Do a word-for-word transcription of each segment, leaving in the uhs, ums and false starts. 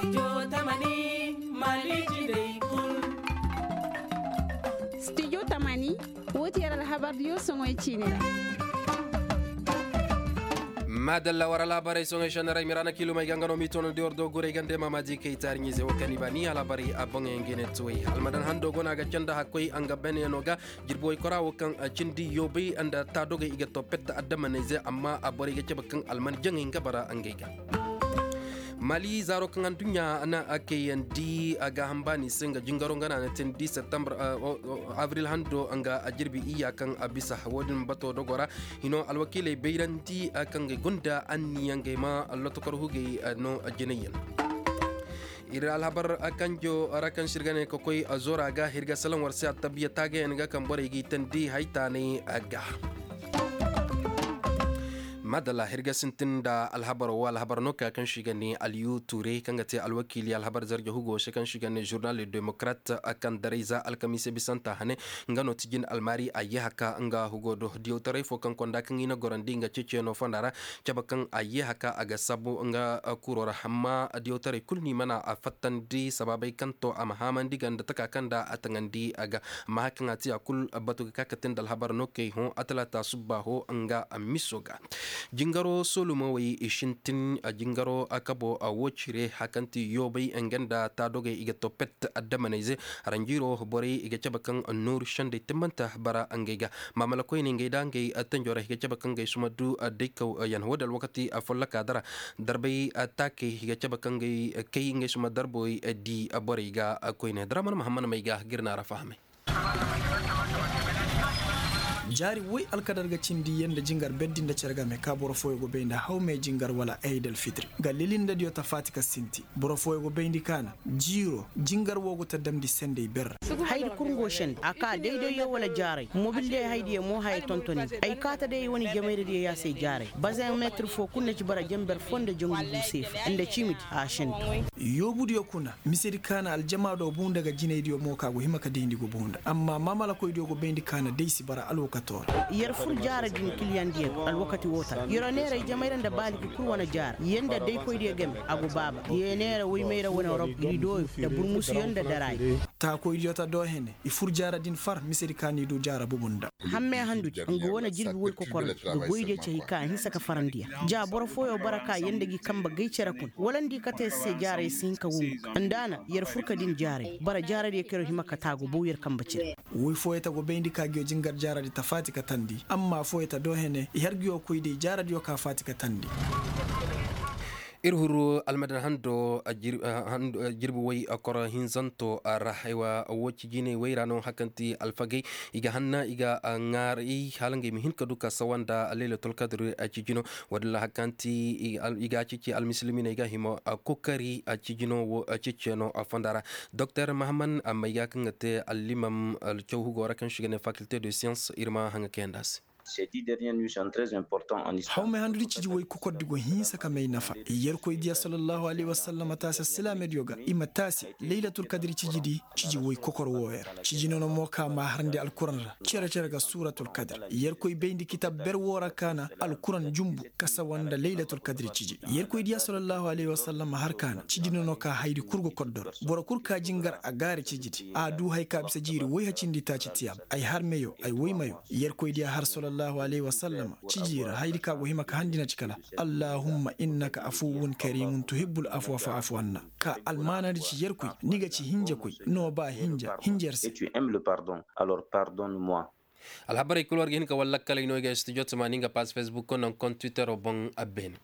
Studio tamani, woo ti yer alhabardiyo soŋoy ciini ra. Maadalla war alhabarey soŋoy šenneray miraana kiilumey ga nga no m'i toonandi war do guray gande maamaadi kay taariɲize wo kaŋ i ba ni alhabarey a boŋey nga i ne tuwey almadan hando go no a ga canda hakkoy a nga beneyaŋo ga. Jirbi woy kora wo kaŋ cindi yoobay nda taadogey i ga to petta addamaney ze amma borey ga cabe kaŋ alman jaŋey nga bara ngey ga. Mali zaaro kaŋ adduɲɲa na a kayandi a ga hambaani se nga jingaro nga na a na teendi septembre abril hando nga jirbi iyya kaŋ a bisa wo-din bato dogo ra. Hino alwakiiley bayrandi kaŋ ga gunda anniya ngey ma lotokor hugey no jinayyaŋ. Ir alhabar kanjo ra kaŋ se ir ga ne ka koy zora ga ir ga salaŋ war se attabiya taagayaŋ ga kaŋ borey g'i teendi haytaanay ga. Madalla ir ga sintin nda alhabar wo alhabar no ka kaŋ se i ga ne alyu ture kaŋ ga te alwakiili alhabar zarja hugo se kaŋ se i ga ne journal le démocrate kaŋ daray za alkamiise bisanta hane. Nga no ti jin almaari a ye haka nga hugo do diyawtaray fo kaŋ konda kaŋ i na gorandi nga ceceeno fonda ra. Cabe kaŋ a ye haka a ga sabu nga kuro ra amma diyawtaray kulu ni mana a fattandi sabaabey kaŋ to a ma haamandi ga nda taka kaŋ nda a taŋandi a ga. Amma hari kaŋ a ti a kulu batu ga ka ka te nda alhabar no kay hõ a talaata subba ho nga miso ga. Jingaro soolumawey i sintin jingaro kabo a wo cire hari kaŋ ti yoobay nga nda taadogey i ga to pet addamanayze. Haranjiiro borey i ga cabe kaŋ nooru sendey timmanta bara ngey ga. Maamala koyne ngey da ngey tanjorey i ga cabe kaŋ ngey suma du daykaw yaŋ wo-din alwakati folloka dara. Darbay taakey i ga cabe kaŋ ngey kay ngey suma darbey di borey ga koyne daraman mahammad may ga ga ir na ra fahamay. Jaari woy alkadar ga cindi yee nda jingar berdi nda cere game ka boro fooyoo go bay nda hawmey jingar wala aydal fitiri ga lilindadiyo ta faati ka sinti. Boro fooyoo go bayndi kaana jiiro jingar woo go ta damndi sendey ber. Haydi kul ngo sende a kaa daydayyo wala jaaray mobil day haydiyo mo haya tontoni. Ay kaata day ay wane jamayradiyo yaasay jaaray bazeŋ meetir foo kul na ci bara jenber foo nda jangu buuseefa nda ciimidi a sende. Yoobudiyo kuna misedi kaana aljamaado buu nda ga jinaydiyo mo ka go hima ka dayndi go buu nda amma maamalakoydiyo go bayndi kaana day si bara alwakatoo ra. Yer fur jaara din kiliyandiyo ga alwakati woo ta ra yeroo neera ay jamayra nda baaliki kul wane jaara yer nda daykoydiyo game a go baaba. Yer neera woymayra wane rop ridooyo nda burmusuyo nda daraayo. Taakoydiyo ta doohene i fur jaara din far misedi ka n'i duu jaara bubu nda. Hammey handudi nga wane jirbi woy kokor nda ga goydiyo cay ka a hinsa ka farandiya. Ja boro fooyoo bara ka yer nda gi kamba gay cere kuna wala nda i kate se jaaray si hin ka wungu nda a na yer fur ka din jaaray bara jaaradiyo kaŋ yer hima ka taa go bow yer kamba cire. Woy fooyoo ta go bayndi ka ngiyo jingar jaaradi ta faati ka tandi amma fooyoo ta doohene i har ngiyo koy day jaaradiyo ka faati ka tandi. Ir huru almadan hando jirbi woy koro hinzanto ra haywa woo cijiney woy ra no hari kaŋ ti alfagey i ga hanna i ga ŋaaray hala ngey ma hin ka du ka sawa nda laylatulkadri cijino. Woo din ra hari kaŋ ti i ga a ceeci almisilminey ga hima kokari cijino woo ceeciyaŋo fonda ra. Doktor mahaman amma i ga kaŋ ga te allimam caw hugo ra kaŋ se i ga ne fakilte de siyans ir ma haŋa kayandi a se. Hawmey handudi ciji woy kokordi go hinsa ka may nafa. Yerkoy diya sallallahu alayhi wa sallam taasi silaamediyo ga i ma taasi laylatul kadri cijidi. Ciji woy kokor wooyo ra ciji nono mo ka ma harandi alkuran ra cere-cere ga suuratul kadri. Yerkoy bayndi kitab ber woo ra ka na alkuran jumbu ka sawa nda laylatul kadri ciji. Yerkoy diya sallallahu alayhi wa sallam har ka na ciji nono ka haydi kul go koddo ra. Boro kul ka jingar a gaari cijidi a du haya ka bisa jiiri woy hacindi taaci tiyaab ay har meyo ay woy meyo. Yerkoy diya har sallallahu alayhi wa sallam ciji ra haydi ka go hima ka handina ci kala allahumma innaka afuwun karimun tuhibbul afwa fa'afu anna. Ka almaanadi ci yerkoy ni ga ci hinjakoy no ba hinja hinja yer se. Alhabarey kul war ga hin ka wallakkaley no i ga studio tamaani nga pass facebook ko naŋ kon twittero boŋ a beene.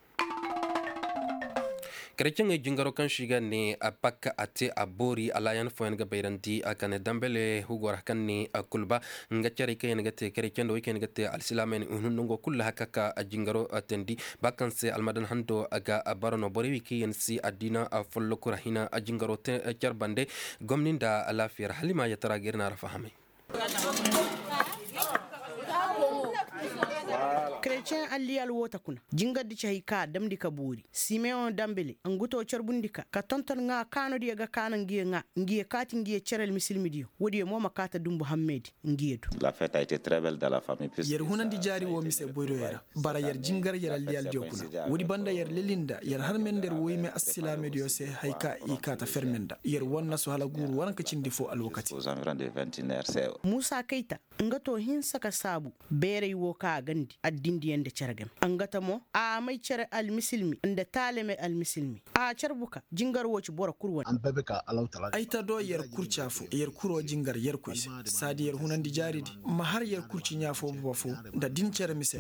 Kerecaŋey jingaro kaŋ se i ga ne a pakka a te a boori alaayan fooyaŋ ga bayrandi a kane dambele hugo ra kaŋ ne a kulba. Nga carey kaŋ yaŋ ga te kerecaŋ nda wey kaŋ yaŋ ga te alsilaamey ne hunun nango kulu ra haka ka a jingaro a teendi. Ba kaŋ se almadan hando a ga a bara no borey wey kaŋ yaŋ si addiina a folloku ra hina a jingaro te care bande. Gomni nda alaafiya ra hala i ma a yatara ga ir na a ra fahamay. Ceŋ alliyal woo ta kuna jingardi ci hay ka a damndi ka boori simeyoŋ dambele ngu too carbundi ka ka tonton ŋaa kaanodiyo ga kaana ngiyo ŋaa ngiyo kaati ngiyo cere almisilmidiyo woodiyo mo ma kaa ta dumbu hammeedi ngiyo du. Yer hunandi jaari woo mise boyroyo ra bara yer jingar yer alliyaldiyo kuna woodi banda yer leli nda yer harme nda yer woyme assilaamediyo se hay ka i kaa ta ferme nda yer wan nasu hala guuru waranka cindi foo alwakati. Muusa kayta nga to hinsa ka saabu beeray woo ka a gandi addindiyaŋ nda cere game nga ta mo a may cere almisilmi nda taalame almisilmi a carbu ka jingar woo ci boro kul wane. Ay ta do yer kurca fo yer kuroo jingar yerkoy se saadi yer hunandi jaaridi ma har yer kurci ɲaa foo boba fo nda din cere mise.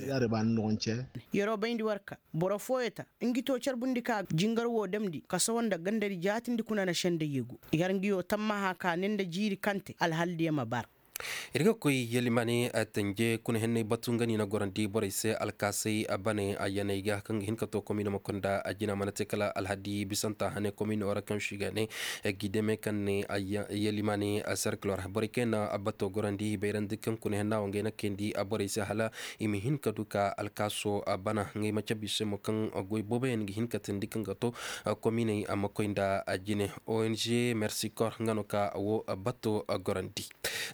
Yeroo bayndi war ka boro fooyo ta ngi to carbundi ka jingar woo damndi ka sohõ nda gandari jaatindi kuna na senda yeegu yer ngi yoo tammaha ka ne nda jiiri kante alhaldiyo ma bar. Ir ga koy yelimaane tanje kuna henney batu nga ni na gorandi borey se alkaasay bane ayyaney ga kaŋ ga hin ka to komiino ma koy nda ajina mana te kala alhadi bisanta hane komiino ra kaŋ si ga ne gideme kaŋ ne yelimaane serkilor borey kaŋ na bato gorandi bayrandi kaŋ kuna henna wo ngey na kayndi borey se hala i ma hin ka du ka alkaaso bana ngey ma cabe i se mo kaŋ goy booboyaŋ ga hin ka teendi kaŋ ga to komiiney ma koy nda jine. Ong mersikor nga no ka wo bato gorandi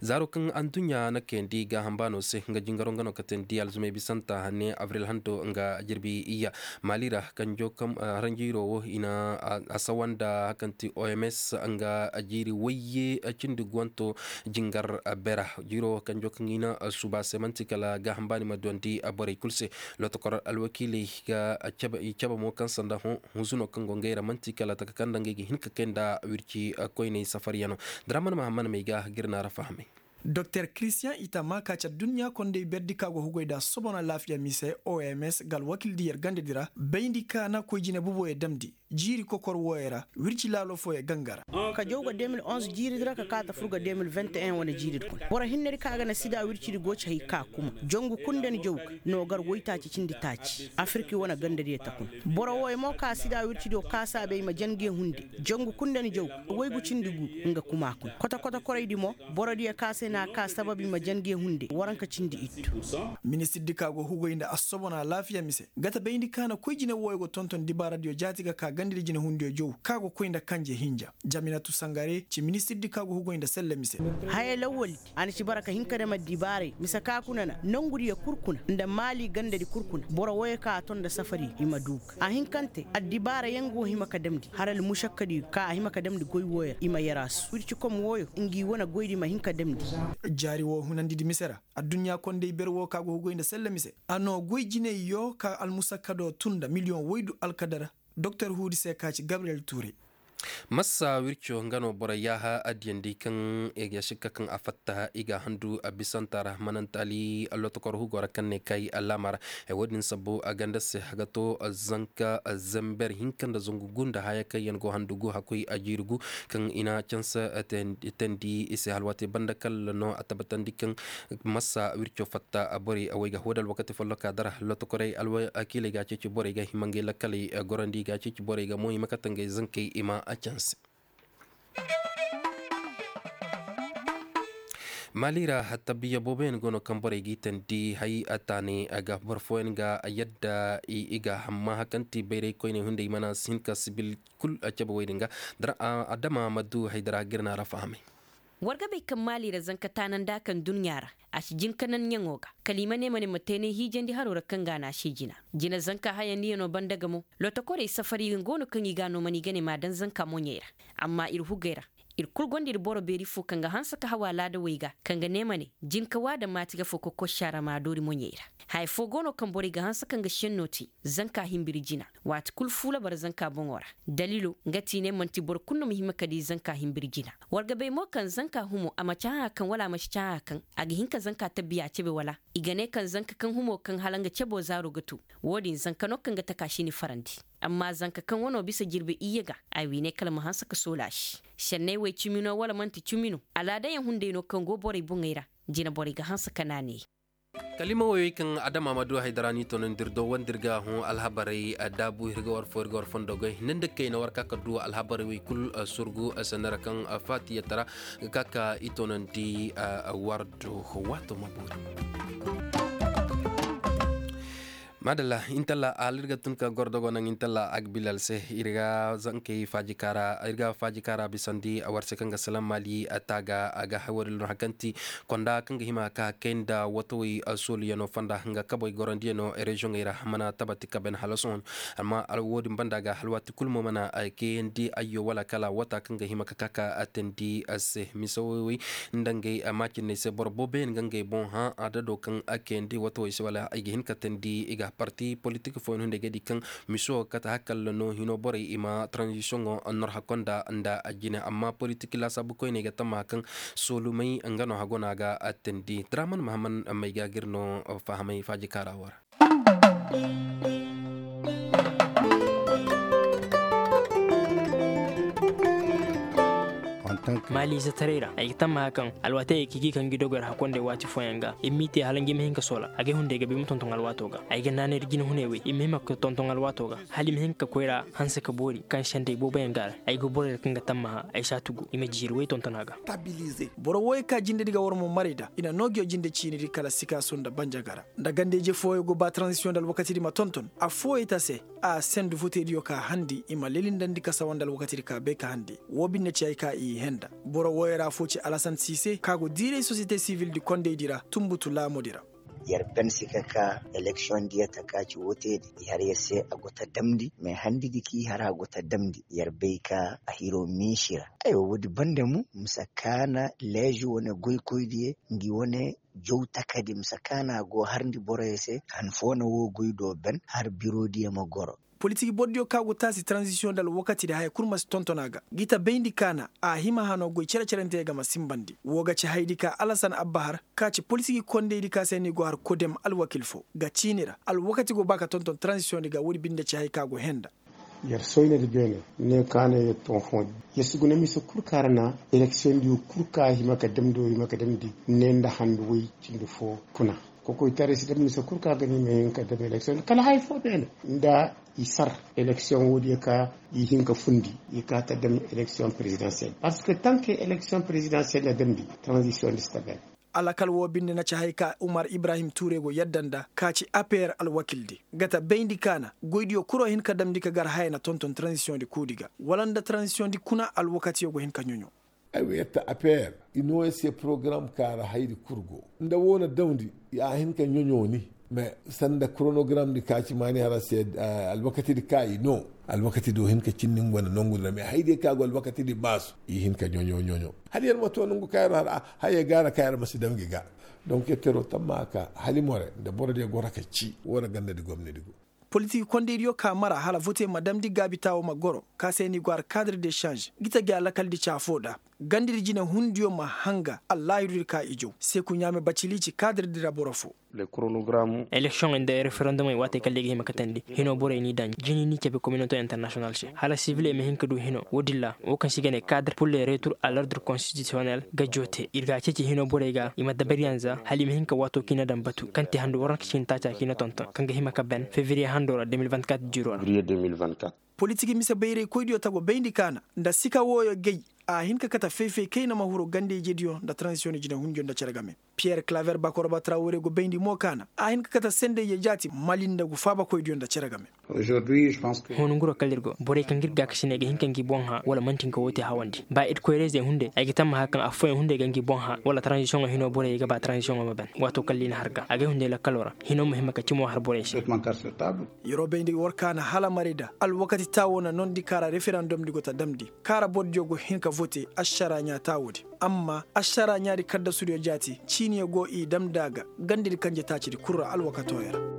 zaaro kaŋ adduɲɲa na kayandi gaaham baano se nga jingaro nga no ka teendi alzumey bisanta hane abril hando nga jirbi iyya maali ra kanjo kaŋ haranjiiro wo i na a sawa nda kaŋ ti oms nga jiiri wayye cindi guwanto jingar bera jiiro kanjo kaŋ i na suuba se man'ti kala gaaham baani ma duwandi borey kul se. Lotokor alwakiiley ga cabe mo kaŋ sanda hunsuno kaŋ go ngey ra man'ti kala taka kaŋ nda ngey ga hin ka kay nda wirci koyney safaryano. Daraman mahamman may ga ga ir na ra fahamay. Doktor kiristiyan itama ka ci adduɲɲa kondey berdi ka go hugay nda sobono alaafiya mise oms ga alwakiildi yer gandadi ra bayndi ka na koy jine buboyo damndi jiiri kokor wooyo ra wirci laalo fooyo ganga ra. Ka jaw ga de mil onz jiiridi ra ka kaa ta fur ga de mil vente en wane jiiridi kuna boro hinnedi ka ga na sida wircidi go ci hay ka kuma jangu kundani jaw ga no gar woytaaci cindi taaci afirki wane gandadiyo ta kuna. Boro wooyo mo ka sida wircidiyo kaasa bay ma jange hunde jangu kundani jaw ga waygu cindi gu nga kuma kuna kotokoto koraydi mo borodiyo ka se na a kaa sabab i ma jange hunde waranka cindi ittu. Ministirdi ka go hugay nda assobona alaafiya mise ga ta bayndi ka na koy jine wooyo go tonton dibaaradiyo jaati ga ka gandadi jinehundiyo jaw ka go koy nda kanje hinja jaminatu sangare ci ministirdi ka go hugay nda selle mise. Haya lawwaldi a na ci bara ka hin ka dam addibaaray mise ka kuna na nongudiyo kul kuna nda maali gandadi kul kuna boro wooyo ka a ton nda safari i ma du ga a hin kaŋ te addibaarayaŋ go hima ka damndi har almušakkadi ka a hima ka damndi goy wooyo ra i ma yaraasu wircikom wooyo ngi wane goydi ma hin ka damndi. Jaari woo hunandidi mise ra adduɲɲa kondey ber woo ka go hugay nda selle mise a noo goy jiney yoo ka almusakkado tun nda miliyoŋ woydu alkadara doktor huudi se ka ci gabriyel tuure. Massa wirco nga no boro yaaha addiyandi kaŋ i ga sikka kaŋ a fatta i ga a handu a bisanta ra manantaali allotokor hugo ra kaŋ ne kay allaama ra. Wo-din sabbu a ganda se a ga to zanka zember hinka nda zangu gu nda haya kaŋ yaŋ go handu gu hakkoy a jiiri gu kaŋ i na canse teendi i se halwaatey banda kala no a tabbatandi kaŋ massa wirco fatta borey wey ga hoo da alwakati folloka dara lotokorey alwakiiley ga a ceeci borey ga hima ngey lakkaley gorandi ga a ceeci borey ga mo hima kate ngey zankey i ma a canse. Maali ra tabiya booboyaŋ go no kaŋ borey g'i teendi hay a taanay ga boro fooyaŋ ga yadda i ga hamma kaŋ ti bayray koyney hunday mana si hin ka sibil kul a cabe wey din ga. Adama ma du haydara ga ir na ra fahamay. War ga bay kaŋ maali ra zanka taananda kaŋ dunya ra a si jin ka nan ɲaŋo ga kala i ma ne ma ne ma teenay hiijandi haro ra kaŋ ga a na a se jina. Jina zanka hayandiyano banda ga mo lotokorey safari go no kaŋ i ga a no mana i ga ne m'a daŋ zanka moɲey ra. Amma ir hugey ra ir kul gonda ir boro beeri fo kaŋ ga hanse ka haw alaada wey ga kaŋ ga ne ma ne jin ka waada maati ga fo ka koy saara m'a doori moɲey ra. Haya fo go no kaŋ borey ga hanse kaŋ ga senno te zanka himbiri jina. Waati kul fuula bara zanka boŋo ra. Daliilo nga ti ne manti boro kulu no ma hima ka di zanka himbiri jina. War ga bay mo kaŋ zanka humo a ma ci hãa kaŋ wala a ma si ci hãa kaŋ a ga hin ka zanka tabiya cebe wala? I ga ne kaŋ zanka kaŋ humo kaŋ hala nga cebo zaaro ga tu. Wo-din zanka no kaŋ ga taka si ni farandi. Amma zanka kaŋ wano bisa jirbi iyye ga a wiinay kala ma hanse ka soola a se. Senney wey cimi no wala manti cimi no? Alaadayaŋ hunday no kaŋ go borey boŋey ra. Jina borey ga hanse ka naanay. Kalima woyoy kaŋ adama ma du haydara ni tono ndir do wondir ga hõ alhabarey daabu ir ga war fo ir ga war fondo goy ne nda kayna war ka ka du alhabarey wey kul surgu sennera kaŋ faatiyatara ga ka ka i tonondi war do waato ma boori. Maadalla, intalla a hala ir ga tun ka gordogo naŋ intalla agbilal se. Ir ga zankey faaji kaara ir ga faaji kaara bisandi war se kaŋ ga salaŋ maali taaga a ga haywari lun hakanti konda kaŋ ga hima ka kay nda watawey sooluyano fonda nga kaboy gorandiyanoo reziyoŋey ra mana tabati ka ben hala sohõ. Amma wo- din banda ga hala waati kulu mo mana kayandi ayyo wala kala wata kaŋ ga hima ka ka ka atandi se mise woy woy nda ngey maacinney se boro booboyaŋ ga ngey boŋ hã adado kaŋ a kayandi watawey se wala ay ga hin ka tandi i ga parti politik fooyaŋ hunday ga di kaŋ miso kate hakalla no hino borey i ma tranzisiyoŋo nor hakko nda nda jine amma politik laasaabu koyney ga tamma kaŋ soolumey nga no hago no a ga tandi draman mahaman may ga ga ir no fahamay faaji kaara wo ra. Maali izetaray ra ay ga tammaha kaŋ alwaatey ay k'i g'i kaŋ gi dogoy ra hakondey waati fooyaŋ ga i m'i te hala ngi ma hin ka soola agay hunday ga ba i ma tonton alwaato ga ay ga naanay da jinehuney wey i ma hima ka tonton alwaato ga hala i ma hin ka koyra hanse ka boori kaŋ sendey booboyaŋ ga a ra ay ga borey ra kaŋ ga tammaha ay si a tugu i ma jiiri wey tonton a ga. Boro wooyey ka jinde di ga war mo maray da i na noo ngiyo jinde ciini di kala sikaasu nda banjaga ra nda ganda-ije fooyey go ba taranzisiyoŋ nda alwakati di ma tonton affooyey te a se a sendu votediyo ka handi i ma lelindandi kasawa nda alwakati di ka bay ka handi woo binde ci hay ka i henda boro wooyey ra affoo ci alasan siise ka go diiray sosiyete sivil di kondey di ra tunbutu laamo di ra. Yer ben si ka ka eleksiyoŋ diya taka ci woo te di i har yer se a go ta damndi mais handi di k'i har a go ta damndi yer bay ka a hiroo miisi ra. Aywa woodi banda mo mise kaana leezi wane goykoy diya ngi wane jaw takadi mise kaana go harndi boroyo se han foo na woo goy do ben har biro diya ma goro. Politik bordiyo ka go taasi taranzisiyoŋ nda alwakati di haya kul ma si tonton a ga gi ta bayndi kaana a hima hanoo goy cere-cerentey ga ma sinbandi woo ga ci hayadi ka alasan abbahar ka ci politik kondaydi ka se ni go har kodem alwakil foo ga ciini ra alwakati go ba ka tonton taranzisiyoŋ di ga woodi binde ci haya ka go henda. Yer soynadi beene ne kaana yer ton foondi yer si guna mise kul ka ra na eleksiyoŋ diyo kul ka hima ka damndi wo hima ka damndi ne nda handu woy cindi foo kuna. Kokoytaray si dam mise kul ka ga ni ma hin ka dam eleksiyoŋ kala haya foo beene nda i sar eleksiyoŋ woodiyo ka i hin ka fundi i ka ta dam eleksiyoŋ perezidansiyel parceque tanke eleksiyoŋ perezidansiyel na damndi taranzisiyoŋ di si ta beene. Alakal woo binde na ci hay ka umar ibrahim tuure go yadda nda ka ci apeer alwakildi ga ta bayndi kaana goydiyo kuroo hin ka damndi ka gar haya na tonton taranzisiyoŋ di kuudi ga wala nda taranzisiyoŋ di kuna alwakatiyo go hin ka ɲoɲo. Ay wa yetta apeer i noo ay se porogaram kaara haydi kul go nda woo na damndi a hin ka ɲoɲo ni mais sanda koronogaram di ka ci maani har a se alwakati di ka i noo alwakati di wo hin ka cinni nga wane nongu di ra mais haydiyo ka go alwakati di baasu i hin ka ɲoɲo ɲoɲo. Hala yer ma to nongu ka yer har a haya gaara ka yer ma si daŋ gi ga donk yer teroo tamma ka hala i more nda borodiyo goro ka ci woo na ganda di gomnadi go. Politik kondaydiyo ka mara hala vote ma damndi gaabi taawo ma goro ka se ni go har kaadre de šanž gi ta gi alakal di ci afoo da gandadi jinehundiyo ma hanga allaahirudi ka i jaw seku ɲaame bacili ci kaadre di ra boro foo. Eleksiyoŋey nda referendomey waatey kala i ga hima katandi hinoo borey n'i daŋ jini n'i cabe kominotoo internasiyonal se hala siviley ma hin ka du hinoo woodin ra woo kaŋ se i ga ne kaadre pur le retur a lordre konstitisiyonel ga joote ir ga a ceeci hinoo borey ga i ma dabariyaŋ za hala i ma hin ka waatoo kaŋ i na daŋ batu kaŋ te handu waranka ciini taaca kaŋ i na tonton kaŋ ga hima ka ben fevriye handoo ra de mil vingt-quatre jiroo ra. Politik mise bayraykoydiyo tago bayndi kaana nda sika wooyo gay a hin ka kate fay-fay kayna ma huru ganda-ijediyo nda taranzisiyoŋ jinehundiyo nda cere game. Piyer klaver bakoroba trawore go bayndi mo kaana a hin ka kate sendayyo jaati mali nda gu faabakoydiyo nda cere game. Huuna nguroo kala ir go borey kaŋ ga ir gaakasiney ga hin ka ngi boŋ hã wala man'ti nga woo te hawandi ba ir koyrayzey hunday ay ga tammaha kaŋ affooyaŋ hunday ga ngi boŋ hã wala taranzisiyoŋo hinoo borey ga ba taranzisiyoŋo ma ben waatoo kala i na har ga agay hunday lakkaloo ra hinoo ma hima ka cimo har borey se. Yeroo bayndi war kaana hala marayda alwakati taawoo na noondi kaara referandom di go ta damndi kaara bordiyo go hin ka vote ašaraa ɲaa taawoo di amma ašaraa ɲaadi kaddasudiyo jaati ciiniyo go i damndi a ga gandadi kanje taacidi kul ra alwakatoo ya ra.